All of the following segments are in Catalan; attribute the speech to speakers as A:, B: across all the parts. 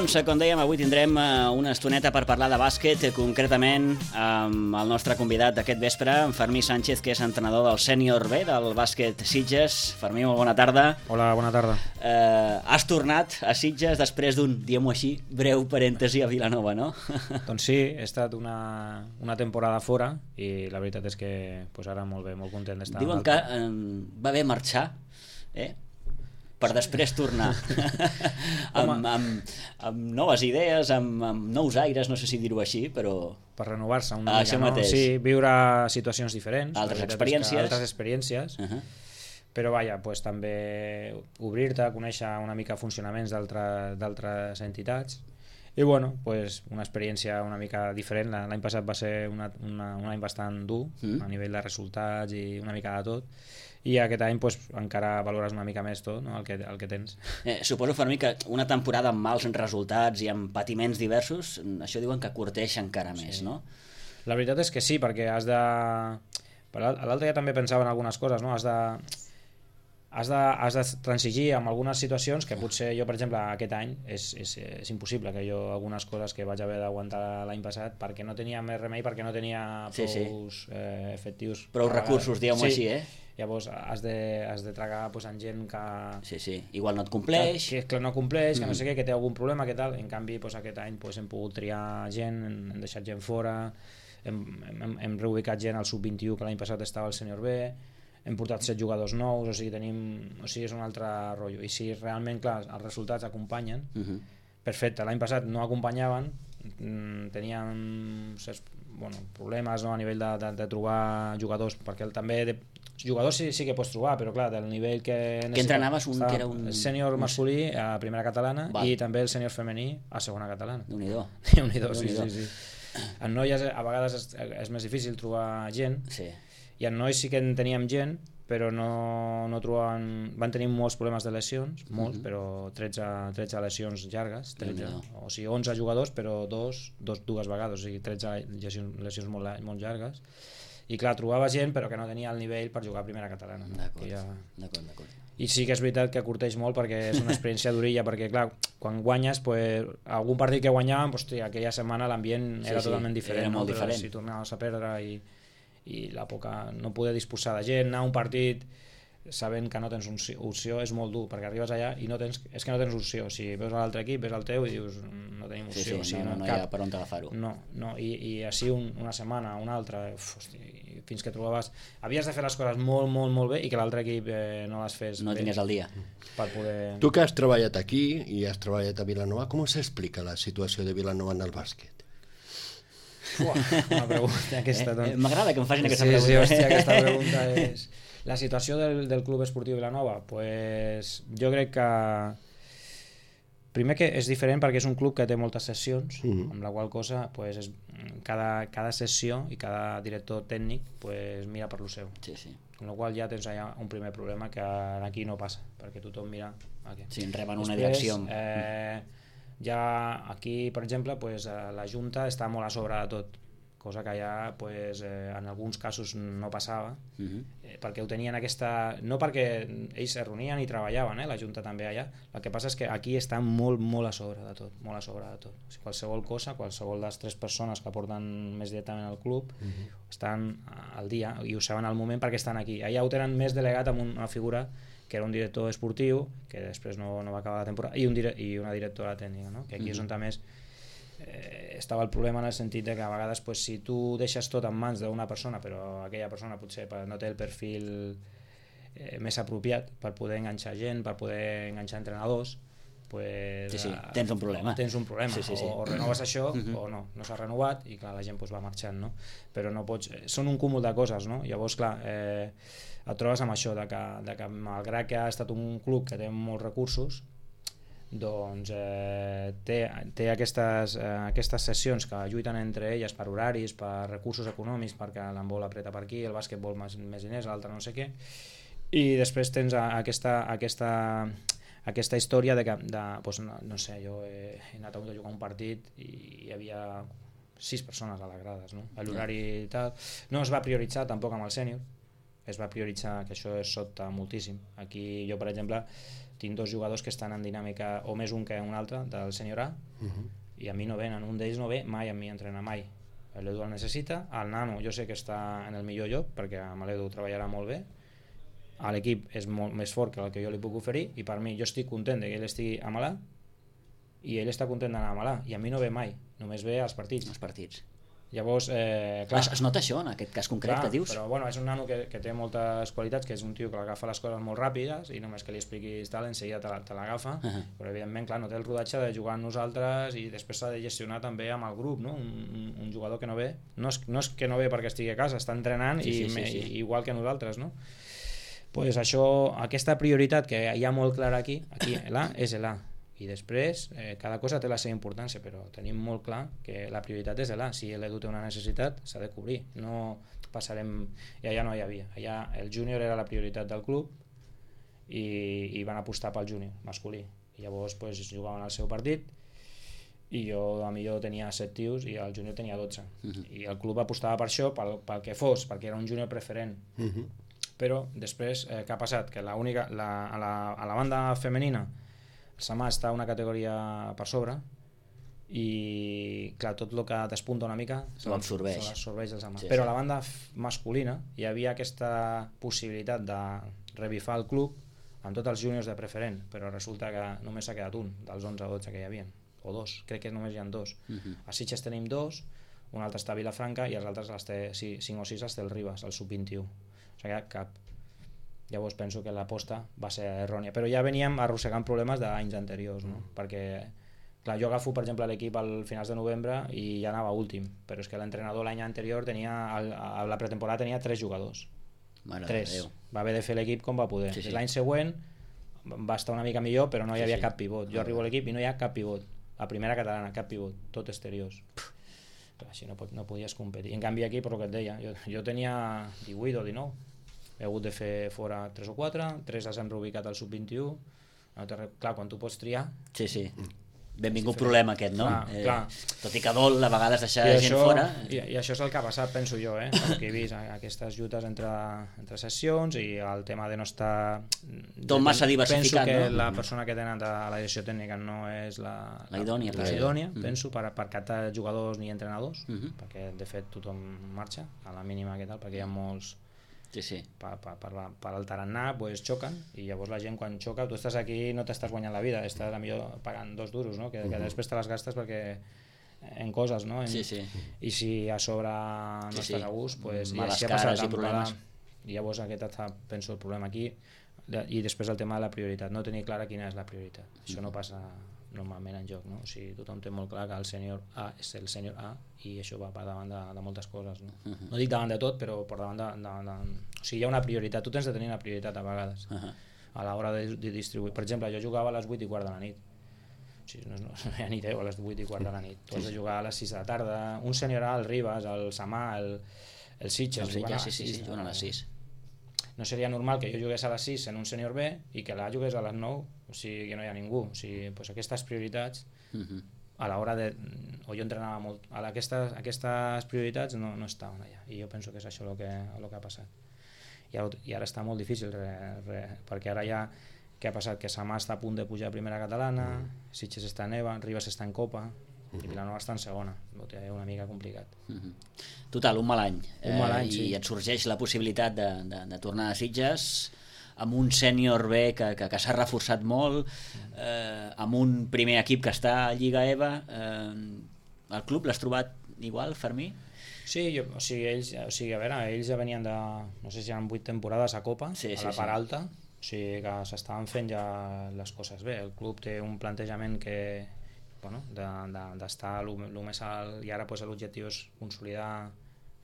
A: Doncs, com dèiem, avui tindrem una estoneta per parlar de bàsquet, concretament amb el nostre convidat d'aquest vespre, en Fermí Sánchez, que és entrenador del Sènior B, del bàsquet Sitges. Fermí, molt bona tarda.
B: Hola, bona tarda.
A: Has tornat a Sitges després d'un, diguem-ho així, breu parèntesi a Vilanova, no?
B: Doncs sí, he estat una temporada fora i la veritat és que ara molt bé, molt content d'estar.
A: Diuen que va bé marxar, per després tornar amb noves idees, amb nous aires, no sé si dir-ho així, però...
B: Per renovar-se una mica, no? Sí, viure situacions diferents.
A: Altres experiències.
B: Però vaja, també obrir-te, conèixer una mica funcionaments d'altres entitats. I bueno, una experiència una mica diferent. L'any passat va ser un any bastant dur a nivell de resultats i una mica de tot. I aquest any encara valores una mica més tot, no? el que tens.
A: Suposo, Fermí, que una temporada amb mals resultats i amb patiments diversos, això diuen que curteix encara més, no?
B: La veritat és que sí, perquè has de... L'altre dia també pensava en algunes coses, no? Has de transigir amb algunes situacions que potser jo, per exemple, aquest any és impossible que jo algunes coses que vaig haver d'aguantar l'any passat perquè no tenia més remei, perquè no tenia prou efectius.
A: Prou recursos, diguem-ho així,
B: Llavors has de tragar amb gent que...
A: Sí, igual no et compleix.
B: Que no compleix, que no sé què, que té algun problema, que tal. En canvi, aquest any hem pogut triar gent, hem deixat gent fora, hem reubicat gent al sub-21 que l'any passat estava al Sènior B, hem portat 7 jugadors nous, o sigui, és un altre rotllo. I si realment, clar, els resultats acompanyen, perfecte, l'any passat no acompanyaven, teníem problemes, no, a nivell de trobar jugadors, perquè també jugadors sí que pots trobar, però clar, del nivell que
A: entrenaves que era un
B: sènior masculí a primera catalana i també el sènior femení a segona catalana.
A: Déu-n'hi-do.
B: Sí. En noies a vegades és més difícil trobar gent, i en nois sí que en teníem gent, però no trobaven... Van tenir molts problemes de lesions, molts, però 13 lesions llargues, 13, o sigui 11 jugadors, però dues vegades, o sigui 13 lesions molt llargues. I clar, trobava gent però que no tenia el nivell per jugar a primera catalana.
A: D'acord.
B: I sí que és veritat que curteix molt perquè és una experiència durilla, perquè clar, quan guanyes, algun partit que guanyàvem, aquella setmana l'ambient era totalment diferent.
A: Era molt diferent.
B: Si tornaves a perdre i la poca, no poder disposar de gent, anar a un partit sabent que no tens opció és molt dur, perquè arribes allà i no tens opció. Si veus l'altre equip, veus el teu i dius no tenim opció.
A: No hi ha per on agafar-ho.
B: No, i així una setmana, una altra, fins que trobaves... Havies de fer les coses molt, molt, molt bé i que l'altre equip no les fes
A: no tingués el dia.
B: Per poder...
C: Tu que has treballat aquí i has treballat a Vilanova, com s'explica la situació de Vilanova en el bàsquet?
B: Una pregunta aquesta.
A: M'agrada que em facin aquesta pregunta.
B: Sí, hòstia, aquesta pregunta és... La situació del Club Esportiu Vilanova, jo crec que primer que és diferent perquè és un club que té moltes sessions, amb la qual cosa cada sessió i cada director tècnic mira per lo seu. Amb la qual ja tens allà un primer problema que aquí no passa, perquè tothom mira aquí.
A: Sí, reben una direcció.
B: Ja aquí, per exemple, la Junta està molt a sobre de tot, cosa que ja en alguns casos no passava, perquè ho tenien no perquè ells es reunien i treballaven, la Junta també allà, el que passa és que aquí estan molt, molt a sobre de tot, molt a sobre de tot. O sigui, qualsevol de les 3 persones que porten més directament al club estan al dia i ho saben al moment perquè estan aquí. Allà ho tenen més delegat amb una figura que era un director esportiu, que després no va acabar la temporada, i una directora tècnica, no? Que aquí és on més estava el problema, en el sentit que a vegades si tu deixes tot en mans d'una persona però aquella persona potser no té el perfil més apropiat per poder enganxar gent, per poder enganxar entrenadors,
A: tens un problema.
B: O renoves això o no s'ha renovat i clar, la gent va marxant, no? Però no pots... Són un cúmul de coses, no? Llavors, clar, et trobes amb això de que malgrat que ha estat un club que té molts recursos, doncs té aquestes sessions que lluiten entre elles per horaris, per recursos econòmics, perquè l'handbol apreta per aquí, el bàsquet vol més diners, l'altre no sé què, i després tens aquesta història no sé, jo he anat a jugar un partit i hi havia 6 persones a les grades, no? L'horari i tal no es va prioritzar tampoc amb el sènior, es va prioritzar, que això es sobta moltíssim. Aquí jo, per exemple, tinc 2 jugadors que estan en dinàmica, o més un que un altre, del sènior A, i a mi no venen, un d'ells no ve mai a mi a entrenar, mai. L'Edu el necessita, el nano jo sé que està en el millor lloc, perquè amb l'Edu treballarà molt bé, l'equip és molt més fort que el que jo li puc oferir, i per mi jo estic content que ell estigui a Malà, i ell està content d'anar a Malà, i a mi no ve mai, només ve als partits. Llavors, clar,
A: es nota això en aquest cas concret,
B: clar,
A: que dius?
B: però bueno, és un nano que té moltes qualitats, que és un tio que agafa les coses molt ràpides i només que li expliquis tal, enseguida te l'agafa, però evidentment clar, no té el rodatge de jugar amb nosaltres i després s'ha de gestionar també amb el grup, no? Un jugador que no ve, no és que no ve perquè estigui a casa, està entrenant igual que nosaltres, no? Pues això, aquesta prioritat que hi ha molt clara aquí l'A és l'A, i després cada cosa té la seva importància, però tenim molt clar que la prioritat és l'A. Si l'Edu té una necessitat s'ha de cobrir, no passarem, i allà no hi havia, allà el júnior era la prioritat del club i van apostar pel júnior masculí, i llavors pues, jugaven el seu partit i jo tenia 7 tios i el júnior tenia 12 i el club apostava per això, pel que fos, perquè era un júnior preferent. Però després què ha passat? Que a la banda femenina el Samà està una categoria per sobre i clar, tot el que despunta una mica se l'absorbeix el Samà, però a la banda masculina hi havia aquesta possibilitat de revifar el club amb tots els júniors de preferent, però resulta que només s'ha quedat un dels 11 o 12 que hi havia, o 2, crec que només hi ha 2. A Sitges tenim 2, un altre està a Vilafranca i els altres 5 o 6 els té el Ribas, el sub-21, o sigui cap. Llavors penso que l'aposta va ser errònia, però ja veníem arrossegant problemes d'anys anteriors, no? Perquè clar, jo agafo per exemple l'equip al finals de novembre i ja anava últim, però és que l'entrenador l'any anterior a la pretemporada tenia 3 jugadors, 3, va haver de fer l'equip com va poder. L'any següent va estar una mica millor, però no hi havia cap pivot. Jo arribo a l'equip i no hi ha cap pivot, la primera catalana, cap pivot, tot exteriors. Clar, així no podies competir. En canvi aquí, per el que et deia, jo tenia 18 o 19, he hagut de fer fora 3 o 4, 3 els hem reubicat al sub-21, clar, quan tu pots triar...
A: Sí. Benvingut problema aquest, no?
B: Clar.
A: Tot i que dol a vegades deixar gent fora...
B: I això és el que ha passat, penso jo, perquè he vist aquestes lluites entre sessions i el tema de no estar...
A: Tot massa diversificat,
B: no? Penso que la persona que tenen a la direcció tècnica no és la idònia, penso, per captar jugadors ni entrenadors, perquè de fet tothom marxa a la mínima que tal, perquè hi ha molts... per el tarannà pues, xoquen, i llavors la gent quan xoca, tu estàs aquí i no t'estàs guanyant la vida, estàs a millor pagant 2 duros, no? que després te les gastes perquè en coses, no? I si a sobre no estàs a gust, pues,
A: males cares i problemes,
B: i llavors aquest penso el problema aquí, i després el tema de la prioritat, no tenir clara quina és la prioritat. Això no passa normalment en joc, no? O sigui, tothom té molt clar que el sènior A és el sènior A i això va per davant de moltes coses, no? No dic davant de tot, però per davant o sigui, hi ha una prioritat, tu tens de tenir una prioritat a vegades a l'hora de distribuir. Per exemple, jo jugava a les 8:15 de la nit, o sigui, no hi ha ni 10 a les 8:15 de la nit, tu has de jugar a les 6 de la tarda, un sènior A, el Ribas, el Samà, el Sitges,
A: juguen a les 6.
B: No seria normal que jo jugués a les 6 en un sènior B i que l'A jugués a les 9, o sigui que no hi ha ningú. O sigui, pues aquestes prioritats a l'hora de... o jo entrenava molt, aquestes prioritats no estaven allà, i jo penso que és això el que ha passat. I ara està molt difícil perquè ara ja què ha passat? Que Samà està a punt de pujar a primera catalana, Sitges està en EVA, Ribas està en Copa i Vilanova està en segona, ho té una mica complicat.
A: Total, un mal any,
B: sí.
A: I et sorgeix la possibilitat de tornar a Sitges amb un sènior B que s'ha reforçat molt, amb un primer equip que està a Lliga EVA. El club l'has trobat igual, Fermí?
B: Sí, ells ja venien de, no sé si eren 8 temporades a Copa, a la part alta, o sigui que s'estaven fent ja les coses bé. El club té un plantejament que d'estar el més alt, i ara l'objectiu és consolidar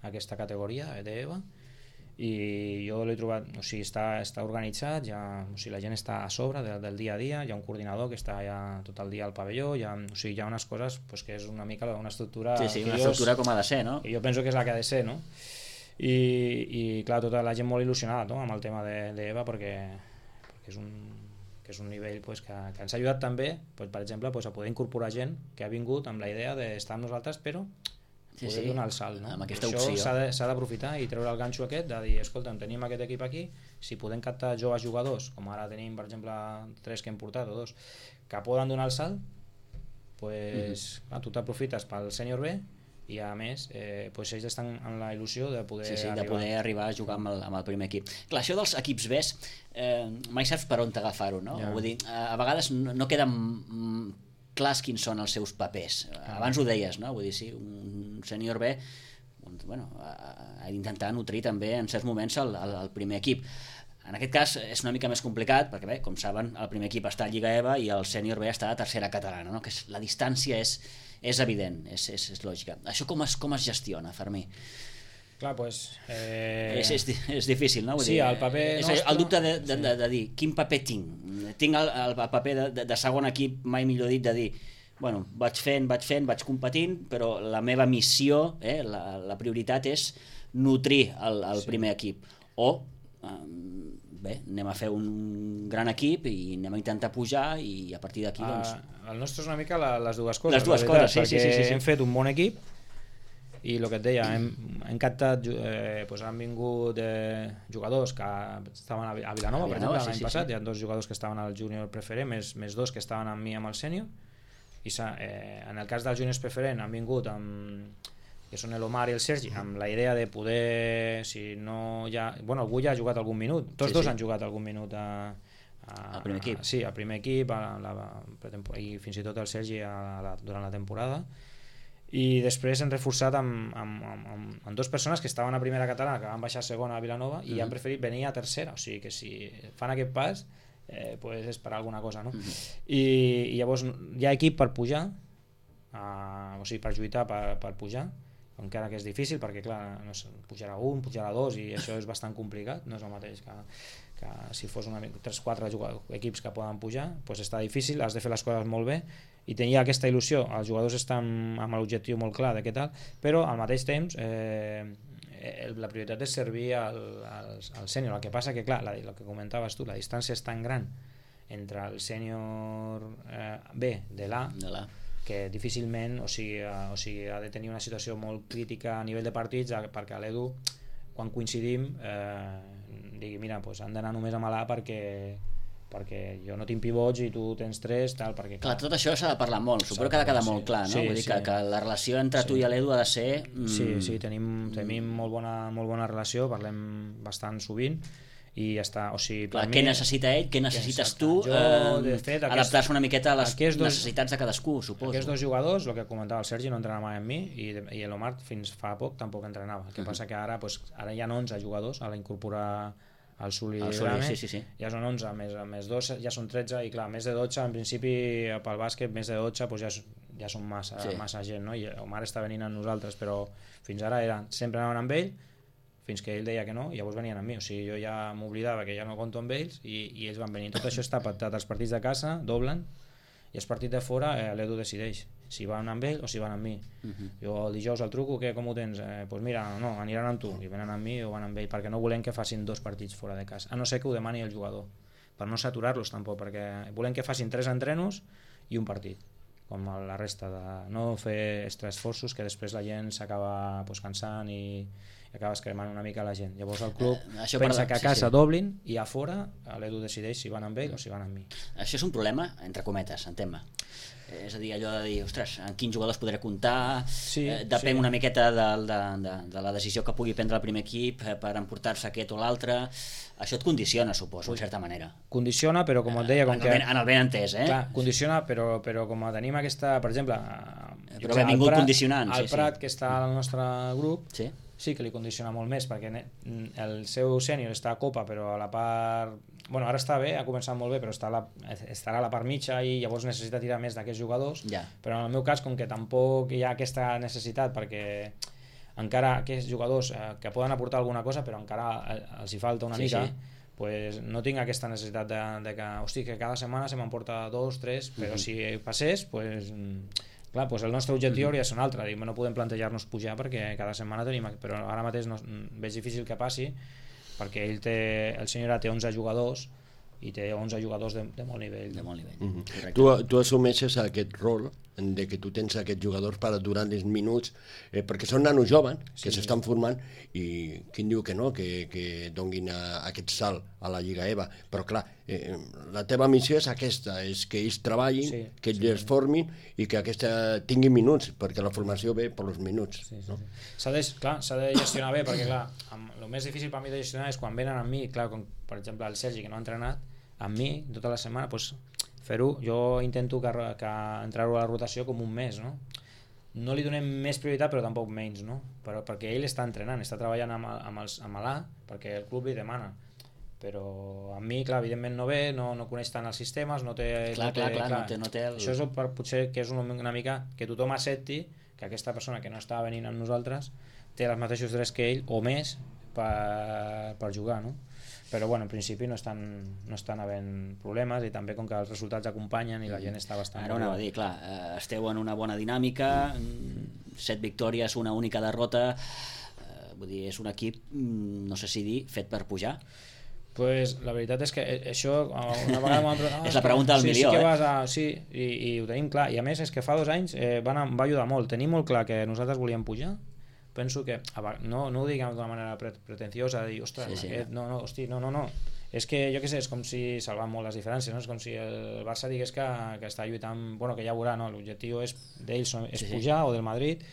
B: aquesta categoria d'EVA, i jo l'he trobat, o sigui, està organitzat, o sigui, la gent està a sobre del dia a dia, hi ha un coordinador que està ja tot el dia al pavelló, hi ha unes coses que és una mica una estructura...
A: una estructura com ha de ser, no?
B: I jo penso que és la que ha de ser, no? I clar, tota la gent molt il·lusionada, no?, amb el tema d'EVA, perquè és un nivell que ens ha ajudat també, per exemple, a poder incorporar gent que ha vingut amb la idea d'estar amb nosaltres, però poder donar el salt, no?
A: Amb aquesta
B: això
A: opció
B: s'ha d'aprofitar i treure el ganxo aquest de dir, escolta, tenim aquest equip aquí, si podem captar joves jugadors, com ara tenim per exemple 3 que hem portat o 2 que poden donar el salt, pues, tu t'aprofites pel sènior B i a més pues ells estan en la il·lusió de poder
A: de poder arribar a jugar amb el primer equip. Clar, això dels equips B mai saps per on t'agafar-ho, no? Vull dir, a vegades no queden clars quins són els seus papers. Abans ho deies, no? Vull dir, sí, un sènior B ha d'intentar nutrir també en certs moments el primer equip. En aquest cas és una mica més complicat perquè, bé, com saben, el primer equip està a Lliga EVA i el sènior B està a tercera catalana, no? Que la distància és evident, és lògica. Això com es gestiona, Fermí?
B: Clar, doncs...
A: És difícil, no? Vull
B: dir, el paper nostre...
A: El dubte de dir, quin paper tinc? Tinc el paper de segon equip, mai millor dit, de dir, bueno, vaig fent, vaig competint, però la meva missió, la prioritat és nutrir el primer equip. O... bé, anem a fer un gran equip i anem a intentar pujar i a partir d'aquí doncs...
B: El nostre és una mica les dues coses.
A: Les dues coses, sí.
B: Hem fet un bon equip i el que et deia, hem captat, han vingut jugadors que estaven a Vilanova, per exemple, l'any passat, hi ha 2 jugadors que estaven al júnior preferent, més 2 que estaven amb mi amb el sènior, i en el cas dels júniors preferent han vingut que són l'Omar i el Sergi, amb la idea de poder, si no ja... Bueno, algú ja ha jugat algun minut, tots dos han jugat algun minut
A: al primer equip.
B: Sí, al primer equip, i fins i tot el Sergi durant la temporada. I després hem reforçat amb 2 persones que estaven a primera catalana, que van baixar a segona a Vilanova, i han preferit venir a tercera, o sigui que si fan aquest pas, pues és per alguna cosa, no? I llavors hi ha equip per pujar, o sigui, per lluitar per pujar, encara que és difícil perquè clar, pujarà un, pujarà 2 i això és bastant complicat, no és el mateix que si fos 3-4 equips que poden pujar, doncs està difícil, has de fer les coses molt bé i tenia aquesta il·lusió, els jugadors estan amb l'objectiu molt clar de què tal, però al mateix temps la prioritat és servir al sènior. El que passa que clar, el que comentaves tu, la distància és tan gran entre el sènior B de l'A que difícilment, o sigui, ha de tenir una situació molt crítica a nivell de partits perquè l'Edu, quan coincidim, digui, mira, doncs han d'anar només amb l'A perquè jo no tinc pivots i tu tens 3, tal, perquè...
A: Clar, tot això s'ha de parlar molt, suposo que ha de quedar molt clar, no? Vull dir que la relació entre tu i l'Edu ha de ser...
B: Sí, tenim molt bona relació, parlem bastant sovint, i ja està, o sigui,
A: clar, què necessita ell, què necessites tu, adaptar-se una miqueta a les necessitats de cadascú, suposo.
B: Aquests 2 jugadors, el que comentava el Sergi, no entrenava mai amb mi i l'Omar fins fa poc tampoc entrenava, el que passa que ara hi ha 11 jugadors a l'incorporar el Suli,
A: sí.
B: Ja són 11, més 2 ja són 13 i clar, més de 12 en principi pel bàsquet, més de 12 doncs ja són massa gent, no? I Omar està venint amb nosaltres, però fins ara sempre anaven amb ell fins que ell deia que no, i llavors venien amb mi, o sigui, jo ja m'oblidava que ja no compto amb ells i ells van venir. Tot això està pactat, els partits de casa doblen i els partits de fora l'Edu decideix si van amb ell o si van amb mi. Jo el dijous el truco, com ho tens? Doncs mira, no, aniran amb tu, i venen amb mi o van amb ell, perquè no volem que facin 2 partits fora de casa, a no ser que ho demani el jugador, per no saturar-los tampoc, perquè volem que facin 3 entrenos i un partit, com la resta, de no fer extraesforços que després la gent s'acaba cansant i acabes cremant una mica la gent. Llavors el club pensa que a casa doblin i a fora l'Edu decideix si van amb ell o si van amb mi.
A: Això és un problema, entre cometes, entén-me. És a dir, allò de dir, ostres, en quins jugadors podré comptar, depèn una miqueta de la decisió que pugui prendre el primer equip per emportar-se aquest o l'altre. Això et condiciona, suposo, en certa manera.
B: Condiciona, però com et deia...
A: En el ben entès,
B: Clar, condiciona, però com tenim aquesta, per exemple...
A: Però benvingut condicionant.
B: El Prat, que està al nostre grup, sí que li condiciona molt més, perquè el seu sènior està a Copa, però a la part... Bueno, ara està bé, ha començat molt bé, però estarà a la part mitja i llavors necessita tirar més d'aquests jugadors, però en el meu cas, com que tampoc hi ha aquesta necessitat, perquè encara aquests jugadors que poden aportar alguna cosa, però encara els hi falta una mica, pues no tinc aquesta necessitat de que, hosti, que cada setmana se m'emporta 2, 3, però si passés, pues... Clar, doncs el nostre objectiu hauria de ser un altre, no podem plantejar-nos pujar perquè cada setmana tenim, però ara mateix veig difícil que passi perquè el senyor té 11 jugadors i té 11 jugadors de molt nivell.
A: De molt nivell.
C: Tu assumeixes aquest rol de que tu tens aquests jugadors per durant els minuts, perquè són nanos joves que s'estan formant, i qui diu que no, que donguin aquest salt a la Lliga EVA, però clar, la teva missió és aquesta, és que ells treballin, que ells es formin i que aquesta tingui minuts, perquè la formació ve per els minuts. No?
B: S'ha de gestionar bé, perquè clar, el més difícil per mi de gestionar és quan venen amb mi, clar, com per exemple el Sergi, que no ha entrenat amb mi tota la setmana, doncs fer-ho, jo intento que entrar-ho a la rotació com un mes, no? No li donem més prioritat però tampoc menys, no? Perquè ell està entrenant, està treballant amb l'A, perquè el club li demana, però amb mi, clar, evidentment no ve, no coneix tant els sistemes, no té el... Això és potser que és una mica que tothom accepti que aquesta persona que no està venint amb nosaltres té els mateixos drets que ell o més per jugar, no? Però bueno, en principi no estan havent problemes, i també com que els resultats acompanyen i la gent està bastant...
A: Ara anava a dir, clar, esteu en una bona dinàmica, 7 victòries, una única derrota, vull dir, és un equip, no sé si dir, fet per pujar.
B: Pues la veritat és que això una vegada
A: és la pregunta del milió,
B: i ho tenim clar, i a més és que fa 2 anys va ajudar molt, tenim molt clar que nosaltres volíem pujar. Penso que, no ho diguem d'una manera pretenciosa, de dir, ostres, no, és que jo què sé, és com si salvant molt les diferències, no? És com si el Barça digués que està lluitant, bueno, que ja veurà, no? L'objectiu d'ells és pujar, o del Madrid,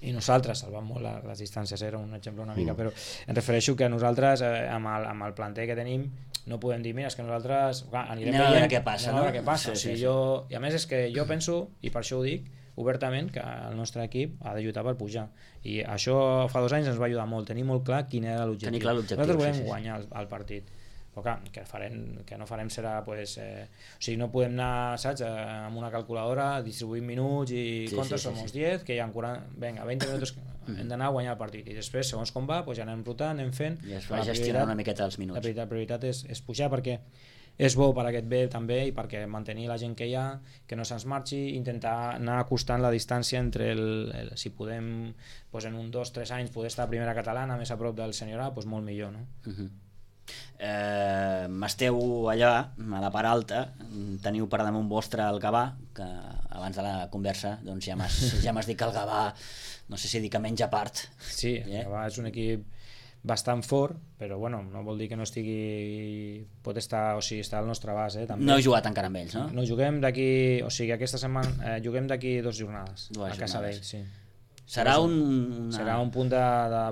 B: i nosaltres salvant molt les distàncies, era un exemple una mica, però em refereixo que nosaltres amb el planter que tenim no podem dir, mira, és que nosaltres
A: anirem a veure què passa, no?
B: I a més és que jo penso, i per això ho dic obertament, que el nostre equip ha de lluitar per pujar, i això fa 2 anys ens va ajudar molt, tenir molt clar quin era l'objectiu. Nosaltres volem guanyar el partit, però clar, que no farem serà pues, o sigui, no podem anar, saps, amb una calculadora distribuint minuts i comptes som els 10, que hi ha 40, vinga, 20 minuts hem d'anar a guanyar el partit, i després segons com va pues, ja anem rotant, anem fent,
A: i es va gestionar una miqueta els minuts.
B: La prioritat és pujar, perquè és bo per aquest bé també, i perquè mantenir la gent que hi ha, que no se'ns marxi, intentar anar acostant la distància entre si podem pues, en un 2-3 anys poder estar a primera catalana més a prop del sènior A, pues, molt millor, no?
A: Esteu allà a la part alta, teniu per damunt vostre el Gavà, que abans de la conversa doncs ja m'has dit que el Gavà, no sé si dir que menja part.
B: Sí, el Gavà és un equip bastant fort, però bueno, no vol dir que no estigui, pot estar, o sigui, està al nostre abast, també.
A: No heu jugat encara amb ells, no?
B: No, juguem d'aquí, o sigui, aquesta setmana juguem d'aquí 2 jornades a casa d'ells, sí.
A: Serà un
B: punt de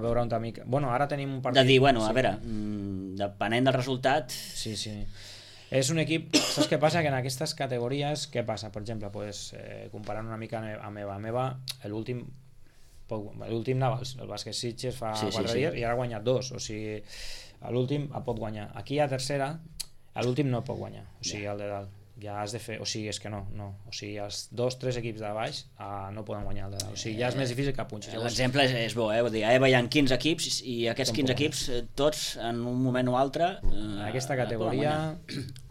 B: veure un mica. Bueno, ara tenim un partit...
A: De dir, bueno, a veure, depenent del resultat...
B: Sí. És un equip, saps què passa? Que en aquestes categories, què passa? Per exemple, pues, comparant una mica amb meva, l'últim anava el Bàsquet Sitges fa 4 dies i ara ha guanyat 2, o sigui l'últim el pot guanyar, aquí a tercera l'últim no el pot guanyar, o sigui el de dalt ja has de fer, o sigui és que no, o sigui els 2-3 equips de baix no poden guanyar el de dalt, o sigui ja és més difícil que punxis.
A: L'exemple és bo, vull dir, a EVA hi ha 15 equips i aquests 15 equips tots en un moment o altre
B: en aquesta categoria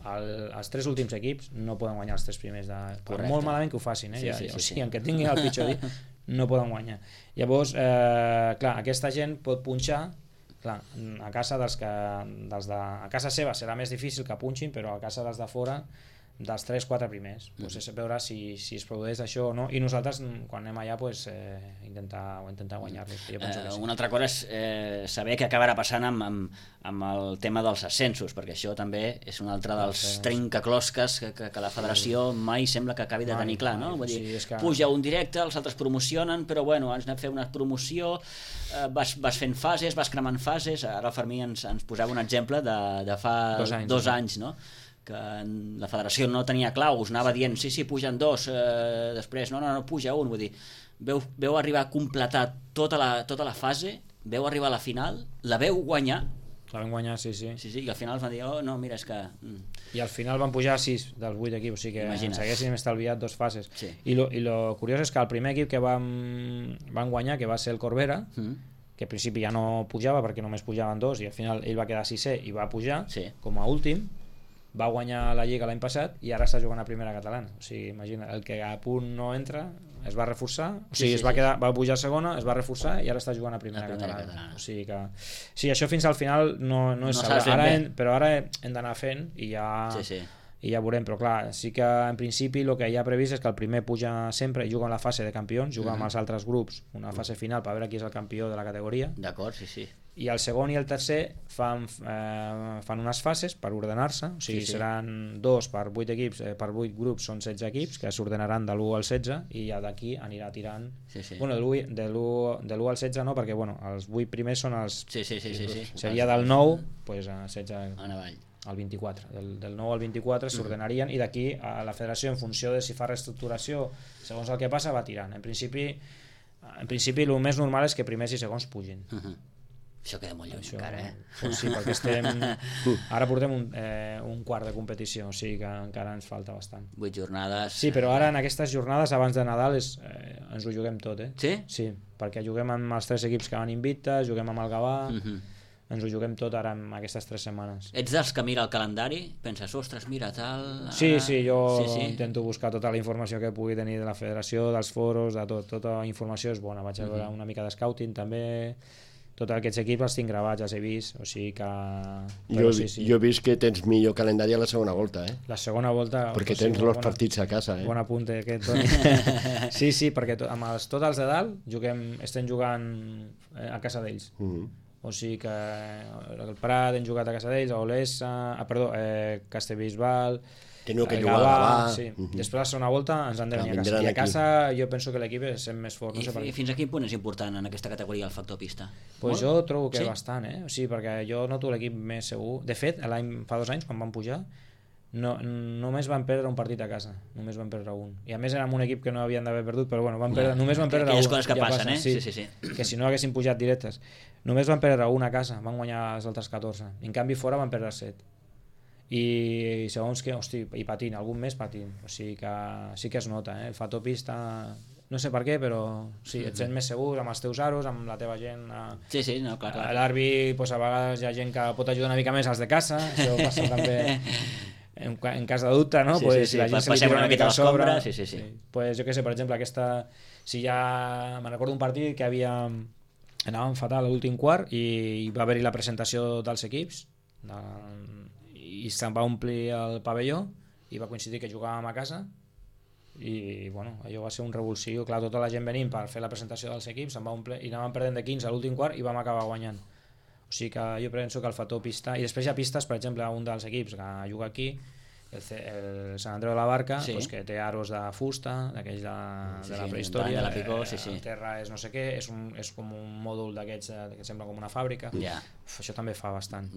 B: els 3 últims equips no poden guanyar els 3 primers per molt malament que ho facin, o sigui, en què tinguin el pitjor dia no poden guanyar. Llavors, clar, aquesta gent pot punxar, clar, a casa a casa seva serà més difícil que punxin, però a casa dels de fora, dels 3-4 primers, pues és veure si es produeix això o no, i nosaltres quan anem allà pues, intentar guanyar-los. Sí.
A: Una altra cosa és saber què acabarà passant amb el tema dels ascensos, perquè això també és un altre dels trencaclosques que la federació mai sembla que acabi de tenir clar, no? Vull dir, puja un directe, els altres promocionen, però bueno, has anat a fer una promoció, vas fent fases, vas cremant fases. Ara el Fermí ens posava un exemple de fa 2 anys, no? Que la federació no tenia claus, anava dient sí, pugen 2, després no, puja 1, vull dir, veu arribar a completar tota la fase, veu arribar a la final, la veu guanyar.
B: La vam guanyar, sí,
A: i al final van dir, no, mira, és que...
B: I al final van pujar 6 dels 8 equips, o sigui que ens haguéssim estalviat 2 fases.
A: Sí.
B: I lo curiós és que el primer equip que van guanyar, que va ser el Corbera, que al principi ja no pujava perquè només pujaven 2 i al final ell va quedar 6è i va pujar com a últim, va guanyar la Lliga l'any passat i ara està jugant a primera catalana, o sigui, imagina, el que a punt no entra es va reforçar, o sigui, va pujar a segona, es va reforçar i ara està jugant a primera catalana. O sigui que sí, això fins al final no és ara, però ara hem d'anar fent i ja i ja veurem, però clar, sí que en principi el que hi ha previst és que el primer puja sempre i juga en la fase de campions, juga amb els altres grups una fase final per veure qui és el campió de la categoria.
A: D'acord, sí.
B: I el segon i el tercer fan unes fases per ordenar-se, o sigui, seran 2 per 8 equips, per 8 grups són 16 equips que s'ordenaran de l'1 al 16 i ja d'aquí anirà tirant. Bueno, de l'1 al 16 no, perquè bueno, els 8 primers són els...
A: Sí.
B: Seria del 9 pues, a 16
A: en avall.
B: Al 24, del 9 al 24 s'ordenarien i d'aquí a la federació en funció de si fa reestructuració segons el que passa va tirant. En principi el més normal és que primers i segons pugin.
A: Això queda molt lluny encara,
B: Pues sí, perquè ara portem un quart de competició, o sigui que encara ens falta bastant.
A: 8 jornades.
B: Sí, però ara en aquestes jornades abans de Nadal ens ho juguem tot,
A: Sí?
B: Sí, perquè juguem amb els 3 equips que van invictes, juguem amb el Gavà, ens ho juguem tot ara en aquestes 3 setmanes.
A: Ets dels que mira el calendari? Penses, ostres, mira, tal...
B: Sí, jo intento buscar tota la informació que pugui tenir de la federació, dels foros, de tot. Tota la informació és bona. Vaig a veure una mica de scouting també. Tots aquests equips els tinc gravats, els he vist, o sigui que...
C: Jo he vist que tens millor calendari a la segona volta,
B: La segona volta...
C: Perquè tens els partits a casa,
B: Bon apunte aquest, Toni. Sí, perquè amb tots els de dalt estem jugant a casa d'ells. O sigui que el Prat hem jugat a casa d'ells, a Olesa, Castellbisbal,
C: teniu que jugar a Gavà.
B: Sí. Després la segona volta ens han de venir a casa. I a casa jo penso que l'equip és més fort.
A: I fins a quin punt és important en aquesta categoria el factor pista?
B: Pues jo trobo que bastant, O sigui, perquè jo noto l'equip més segur. De fet, fa 2 anys, quan van pujar, només van perdre un partit a casa. Només van perdre un. I a més era un equip que no havien d'haver perdut, però bueno, només van perdre un.
A: Aquelles coses que passen,
B: Sí. Que si no haguessin pujat directes. Només van perdre un a casa, van guanyar els altres 14. En canvi fora van perdre 7. I segons que, i patint, algun mes patint. O sigui que sí que es nota, El factor pista... No sé per què, però sí, et sents més segur amb els teus aros, amb la teva gent.
A: Sí, no, clar.
B: A l'àrbitre, a vegades hi ha gent que pot ajudar una mica més als de casa, això passa també en cas de dubte, no?
A: Sí,
B: la gent se li tira una mica a sobre.
A: Sí.
B: Pues jo què sé, per exemple, si ja... Me'n recordo un partit que anàvem fatal a l'últim quart i va haver-hi la presentació dels equips i se'n va omplir el pavelló i va coincidir que jugàvem a casa i bueno, allò va ser un revulsiu, clar, tota la gent venint per fer la presentació dels equips, se'n va omplir i anàvem perdent de 15 a l'últim quart i vam acabar guanyant. O sigui que jo penso que el factor pista, i després hi ha pistes, per exemple, un dels equips que juga aquí, el Sant Andreu de la Barca, que té aros de fusta, d'aquells de la prehistòria,
A: de la Picó,
B: el terra és no sé què, és com un mòdul d'aquests que sembla com una fàbrica. Això també fa bastant.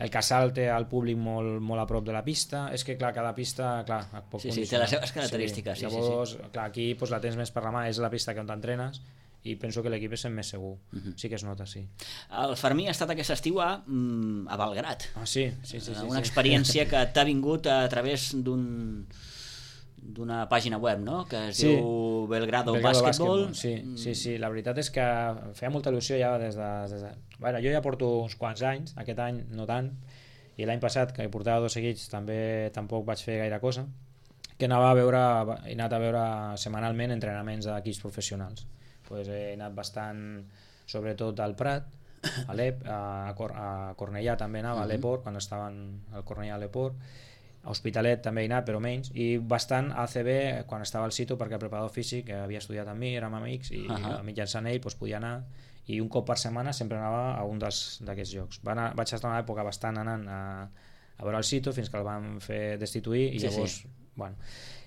B: El Casal té el públic molt a prop de la pista, és que clar, cada pista té
A: les seves característiques.
B: Llavors, clar, aquí la tens més per la mà, és la pista on t'entrenes i penso que l'equip és més segur. Sí que es nota, sí.
A: El Fermí ha estat aquest estiu a Belgrat.
B: Sí.
A: Una experiència que t'ha vingut a través d'una pàgina web, no? Que es diu Belgrado Basketball.
B: Sí, la veritat és que feia molta il·lusió ja des de... Bueno, jo ja porto uns quants anys, aquest any no tant, i l'any passat, que portava 2 seguits, tampoc vaig fer gaire cosa, que he anat a veure setmanalment entrenaments d'equips professionals. He anat bastant, sobretot al Prat, a l'EP, a Cornellà també anava, a l'Eport, quan estaven al Cornellà a l'Eport, a Hospitalet també he anat, però menys, i bastant a ACB quan estava al Cito, perquè el preparador físic que havia estudiat amb mi, érem amics, i mitjançant ell podia anar, i un cop per setmana sempre anava a un d'aquests llocs. Vaig estar una època bastant anant a veure el Cito fins que el van fer destituir, i llavors, bueno...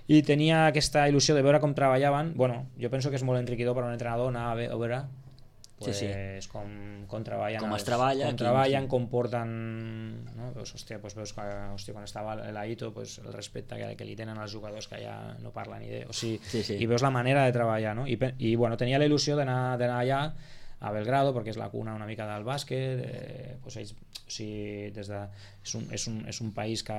B: I tenia aquesta il·lusió de veure com treballaven. Bueno, jo penso que és molt enriquidor per a un entrenador anar a veure com treballen, com porten, no? Veus quan estava l'Aito, el respecte que li tenen els jugadors que ja no parlen ni i veus la manera de treballar, no? I bueno, tenia la il·lusió d'anar allà a Belgrado, perquè és la cuna una mica del bàsquet, és un país que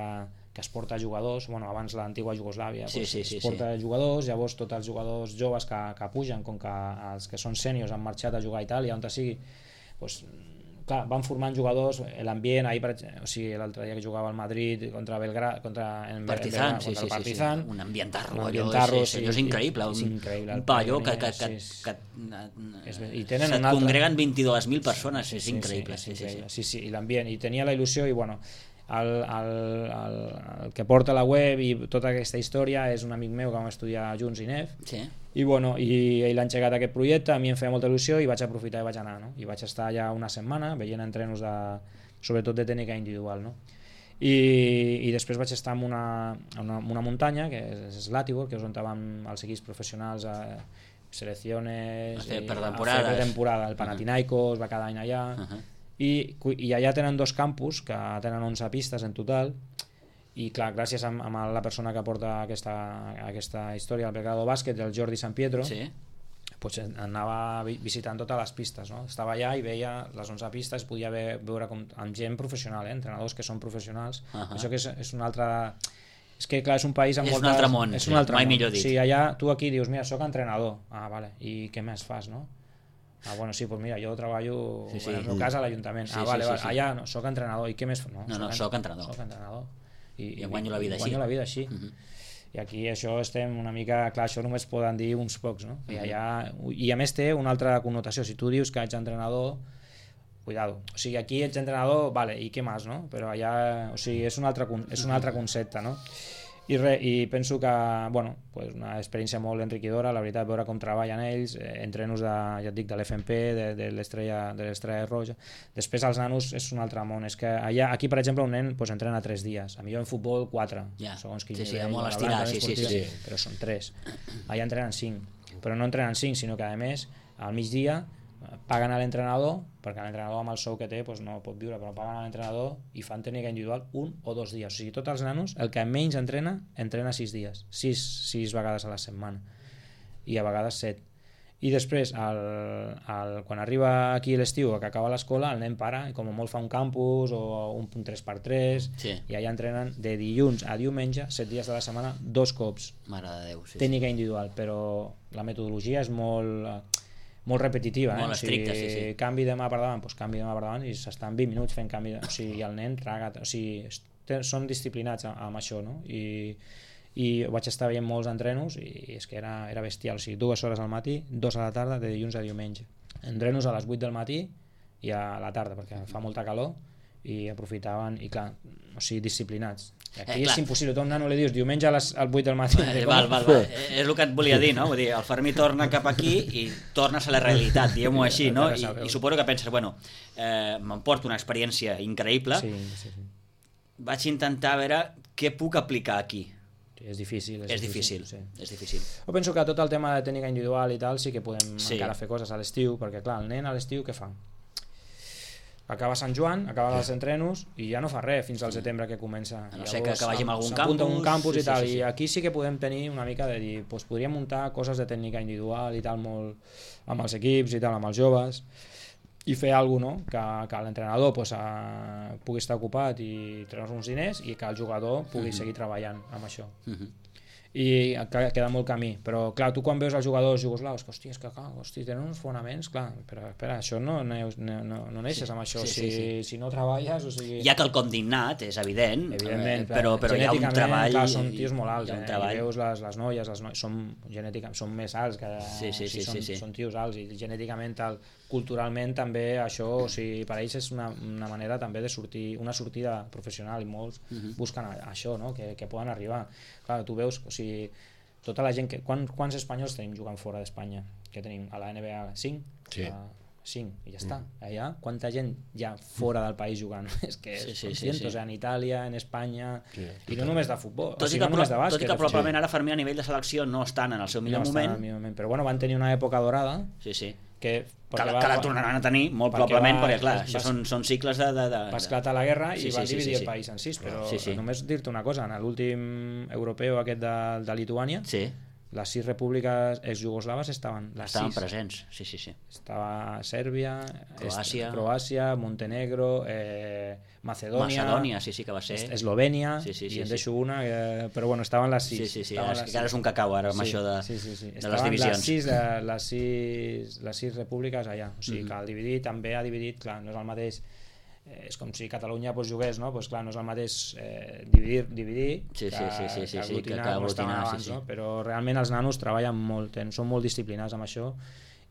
B: es porta jugadors, abans l'antiga Iugoslàvia es porta jugadors, llavors tots els jugadors joves que pugen, com que els que són sèniors han marxat a jugar a Itàlia, on sigui, clar, van formant jugadors, l'ambient, l'altre dia que jugava al Madrid contra el Partizan,
A: un ambientarro, és increïble, un pavelló que se't congreguen 22.000 persones, és increïble.
B: Sí, i l'ambient, i tenia la il·lusió, i bueno, el que porta la web i tota aquesta història és un amic meu que vam estudiar junts, INEF, i ell ha engegat aquest projecte, a mi em feia molta il·lusió i vaig aprofitar i vaig anar, no? I vaig estar allà una setmana veient entrenos sobretot de tècnica individual, no? I després vaig estar en una muntanya que és l'Atibor, que és on van els equips professionals a selecciones
A: per
B: temporada, el Panathinaikos va cada any allà, i allà tenen 2 campus que tenen 11 pistes en total, i clar, gràcies a la persona que porta aquesta història, el Belgrado Bàsquet, el Jordi San Pietro, pues anava visitant totes les pistes, no? Estava allà i veia les 11 pistes, podia veure amb gent professional, entrenadors que són professionals. Això que és un altre... És que clar, és un país amb moltes...
A: És un altre món, mai millor dit.
B: Sí, allà tu aquí dius, mira, soc entrenador. Ah, vale, i què més fas, no? Ah, bueno, sí, pues mira, jo treballo en el meu cas a l'Ajuntament. Vale, allà no, soc entrenador. I què més fas?
A: No, soc entrenador. I guanyo la vida així.
B: I aquí això estem una mica... Clar, això només poden dir uns pocs, no? I a més té una altra connotació. Si tu dius que ets entrenador, cuidado. O sigui, aquí ets entrenador, vale, i què més, no? Però allà, o sigui, és un altre concepte, no? I penso que, bueno, pues una experiència molt enriquidora, la veritat, veure com treballen ells, entrenos ja et dic, de l'FMP, de l'Estrella Roja. Després els nanos és un altre món, és que allà, aquí per exemple un nen pues, entrena 3 dies, a millor en futbol 4, segons qui
A: molt estirat,
B: però són 3. Allà entrenen 5, però no entrenen 5, sinó que a més al migdia paguen a l'entrenador, perquè l'entrenador amb el sou que té pues, no pot viure, però paguen a l'entrenador i fan tècnica individual 1 o 2 dies. O sigui, tots els nanos, el que menys entrena 6 dies, 6 vegades a la setmana, i a vegades 7. I després, quan arriba aquí l'estiu, que acaba l'escola, el nen para, i com molt fa un campus o un 3x3, i allà entrenen de dilluns a diumenge, 7 dies de la setmana, 2 cops.
A: Mare de Déu,
B: tècnica individual, però la metodologia és molt repetitiva,
A: molt estricta,
B: o sigui, canvi de mà per davant, doncs canvi de mà per davant i s'estan 20 minuts fent canvi, o sigui, el nen traga, o sigui, són disciplinats amb això, no? I vaig estar veient molts entrenos i és que era bestial, o sigui, 2 hores al matí, 2 a la tarda, de dilluns a diumenge. Entrenos a les 8 del matí i a la tarda, perquè fa molta calor, i aprofitaven, i clar, o sigui, disciplinats. I aquí és impossible, tu a un nano li dius diumenge a les 8 del matí.
A: Val. És el que et volia dir, no? Vull dir, el Fermí torna cap aquí i tornes a la realitat, diguem-ho així, no? I suposo que penses, bueno, m'emporto una experiència increïble, vaig intentar veure què puc aplicar aquí.
B: És difícil.
A: És difícil.
B: Jo penso que tot el tema de tècnica individual i tal sí que podem encara fer coses a l'estiu, perquè clar, el nen a l'estiu què fa? Acaba Sant Joan, acaba els entrenos i ja no fa res fins al setembre que comença.
A: A no ser que vagi a algun campus.
B: S'apunta a un campus i tal, i aquí sí que podem tenir una mica de dir, doncs podríem muntar coses de tècnica individual i tal, molt amb els equips i tal, amb els joves, i fer alguna cosa, no? Que l'entrenador pugui estar ocupat i treure uns diners i que el jugador pugui seguir treballant amb això. I queda molt camí, però clar, tu quan veus els jugadors jugoslaus, que hòstia, tenen uns fonaments, clar, però espera, això no neixes amb això, si no treballes, o sigui...
A: Hi ha quelcom d'innat, és evident, però hi ha un treball...
B: Clar, són tios molt alts, i veus les noies són més alts, són tios alts, i genèticament, culturalment també això, o sigui, per ells és una manera també de sortir, una sortida professional, i molts busquen això, no? Que poden arribar. Clar, tu veus, o sigui, tota la gent que... Quants espanyols tenim jugant fora d'Espanya? Que tenim a la NBA 5? 5, i ja està. Allà, quanta gent ja fora del país jugant? És que són cientos, en Itàlia, en Espanya, i no només de futbol, no només de bàsquet.
A: Tot i que probablement ara Fermí a nivell de selecció no estan en el seu millor moment.
B: Però bueno, van tenir una època dorada.
A: Que la tornaran a tenir, molt probablement, perquè clar, això són cicles de...
B: Va esclatar la guerra i van dividir el país en 6, però només dir-te una cosa, en l'últim europeu aquest de Lituània, les 6 repúbliques exjugoslaves estaven
A: presents,
B: estava Sèrbia,
A: Croàcia,
B: Montenegro, Macedònia,
A: que va ser
B: Eslovènia, i en deixo una, però bueno, estaven les 6.
A: Que ara és un cacau ara amb això de les divisions.
B: Les 6 repúbliques allà, o sigui que el dividir també ha dividit, clar, no és el mateix, és com si Catalunya jugués, no? Pues clar, no és el mateix dividir que aglutinar com estaven abans, no? Però realment els nanos treballen molt, són molt disciplinats amb això,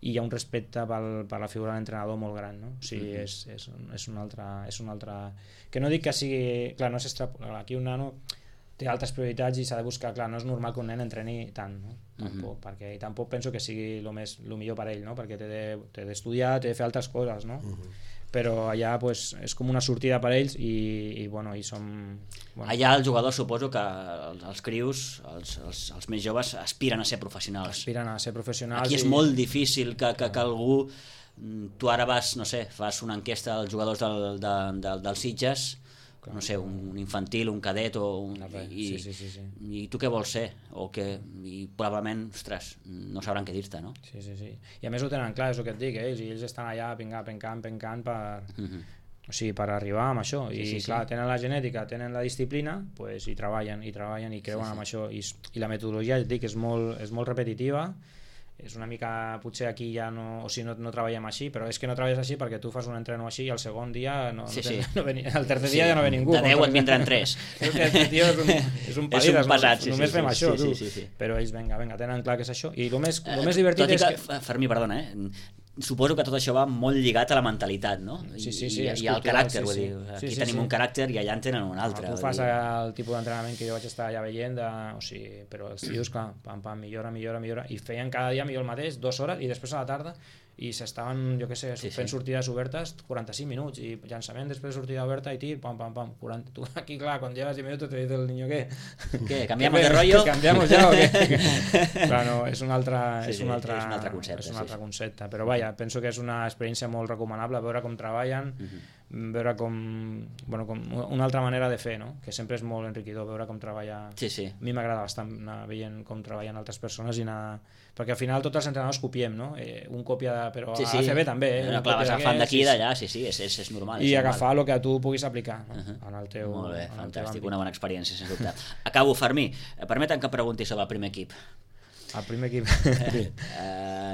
B: i hi ha un respecte per la figura de l'entrenador molt gran, no? O sigui, és un altre... Que no dic que sigui... Clar, no aquí un nano té altres prioritats i s'ha de buscar... Clar, no és normal que un nen entreni tant, no? Tampoc, perquè tampoc penso que sigui el millor per ell, no? Perquè té d'estudiar, té de fer altres coses, no? Però allà pues, és com una sortida per ells i som... Bueno.
A: Allà els jugadors suposo que els crius, els més joves, aspiren a ser professionals.
B: Aspiren a ser professionals.
A: Aquí és molt difícil que algú... Tu ara fas una enquesta als jugadors dels Sitges, no sé, un infantil, un cadet i tu què vols ser? I probablement, ostres, no sabran què dir-te, no?
B: Sí. I a més ho tenen clar, és el que et dic, ells estan allà pencant per arribar amb això i clar, tenen la genètica, tenen la disciplina, pues, i treballen i creuen amb això i la metodologia, et dic, és molt repetitiva. És una mica, potser aquí ja no treballem així, però és que no treballes així perquè tu fas un entreno així i el segon dia el tercer dia ja no ve ningú.
A: De 10 et vindran 3.
B: Aquest tio és un
A: padís,
B: pesat, només fem això, tu. Però ells, vinga, tenen clar que és això. I el més divertit és que...
A: Fermí, perdona, suposo que tot això va molt lligat a la mentalitat, no? I al caràcter, vull dir. Aquí tenim un caràcter i allà en tenen un altre.
B: Tu fas el tipus d'entrenament que jo vaig estar allà veient, però els tios, clar, millora, i feien cada dia millor el mateix, 2 hores, i després a la tarda i s'estaven, jo què sé, fent sortides obertes 45 minuts, i llançament després de sortida oberta i tir, pam, 40. Tu aquí, clar, quan llevas 10 minutos te dice el niño ¿qué?
A: ¿Cambiamos de rollo?
B: ¿Cambiamos ya o qué? Clar, no, és un altre
A: concepte.
B: És un altre concepte, però vaja, penso que és una experiència molt recomanable, veure com treballen, veure com una altra manera de fer, no? Que sempre és molt enriquidor veure com treballa.
A: A
B: mi m'agrada bastant anar veient com treballen altres persones perquè al final tots els entrenadors copiem, no? Un copia, però a ACB també.
A: Clar, vas agafant d'aquí i d'allà, és normal.
B: I agafar el que tu puguis aplicar en el teu...
A: Molt bé, fantàstic, una bona experiència, sens dubte. Acabo, Fermí, permetem que pregunti sobre el primer equip.
B: El primer equip.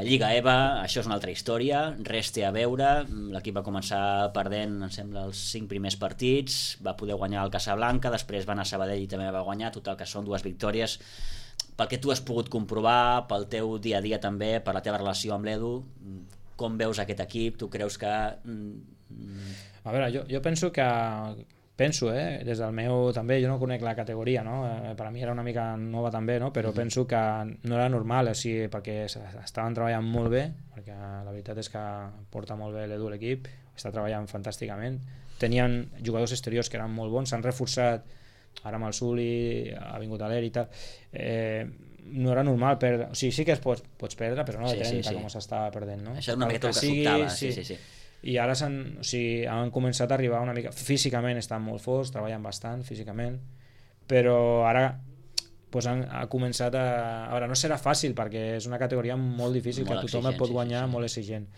A: Lliga EVA, això és una altra història, res té a veure, l'equip va començar perdent, em sembla, els 5 primers partits, va poder guanyar el Casablanca, després va anar a Sabadell i també va guanyar, total que són 2 victòries. Pel que tu has pogut comprovar, pel teu dia a dia també, per la teva relació amb l'Edu, com veus aquest equip? Tu creus que...
B: A veure, jo penso que... des del meu també, jo no conec la categoria, no? Per a mi era una mica nova també, no? Però penso que no era normal, perquè estaven treballant molt bé, perquè la veritat és que porta molt bé l'Edu l'equip, està treballant fantàsticament, tenien jugadors exteriors que eren molt bons, s'han reforçat, ara amb el Suli ha vingut a l'Er i tal, no era normal perdre, o sigui, sí que pots perdre, però no de 30 com s'estava perdent, no?
A: Això és una mica el que sobtava, sí.
B: I ara han començat a arribar una mica... Físicament estan molt forts, treballen bastant físicament, però ara ha començat a... A veure, no serà fàcil perquè és una categoria molt difícil, que tothom et pot guanyar, molt exigent.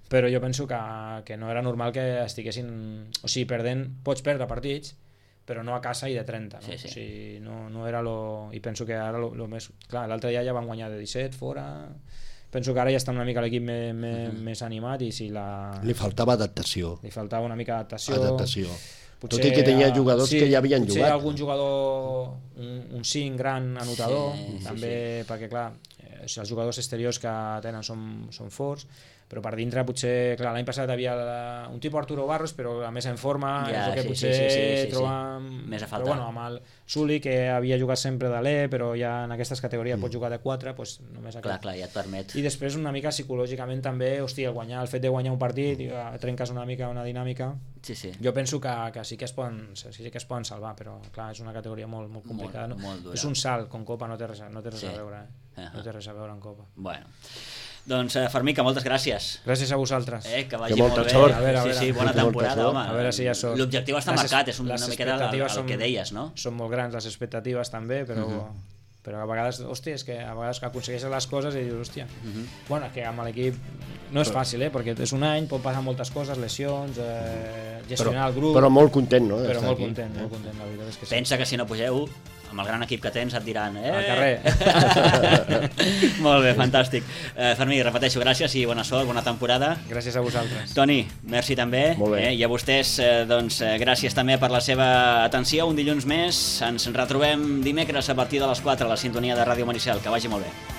B: Però jo penso que no era normal que estiguessin... O sigui, perdent, pots perdre partits, però no a casa i de 30, no? O sigui, no era lo... I penso que ara lo més... Clar, l'altre dia ja van guanyar de 17 fora... Penso que ara ja està una mica l'equip més animat i si la...
C: Li faltava adaptació.
B: Li faltava una mica d'adaptació.
C: Potser, tot i que tenia jugadors que ja havien jugat.
B: Potser algun jugador, un 5 gran anotador, també, perquè clar, els jugadors exteriors que tenen són forts, però per dintre potser, clar, l'any passat havia un tipus Arturo Barros, però a més en forma, és el que potser trobàvem...
A: Més a
B: faltar. Però bueno, amb el Suli, que havia jugat sempre de l'E, però ja en aquestes categories pot jugar de 4, doncs només aquest.
A: Clar, ja et permet.
B: I després una mica psicològicament també, hòstia, el fet de guanyar un partit, trenques una mica una dinàmica. Jo penso que sí que es poden salvar, però clar, és una categoria molt complicada. És un salt, com Copa no té res a veure. No té res a veure amb Copa.
A: Bueno. Doncs Fermí, que moltes gràcies.
B: Gràcies a vosaltres.
A: Que vagi molt bé.
C: Sort.
B: A veure,
A: bona temporada, home.
B: A veure si ja sort.
A: L'objectiu està marcat, és una miqueta el que deies, no?
B: Són molt grans les expectatives també, però a vegades, hòstia, és que a vegades que aconsegueixes les coses i dius, hòstia, bueno, que amb l'equip no és fàcil, perquè és un any, pot passar moltes coses, lesions, gestionar el grup...
C: Però molt content, no?
B: Però molt content, la veritat és que sí.
A: Pensa que si no pugeu, amb el gran equip que tens et diran
B: al carrer.
A: Molt bé, fantàstic. Fermí, repeteixo, gràcies i bona sort, bona temporada.
B: Gràcies a vosaltres.
A: Toni, merci també.
C: Molt bé.
A: I a vostès, doncs, gràcies també per la seva atenció. Un dilluns més, ens retrobem dimecres a partir de les 4 a la sintonia de Ràdio Maricel. Que vagi molt bé.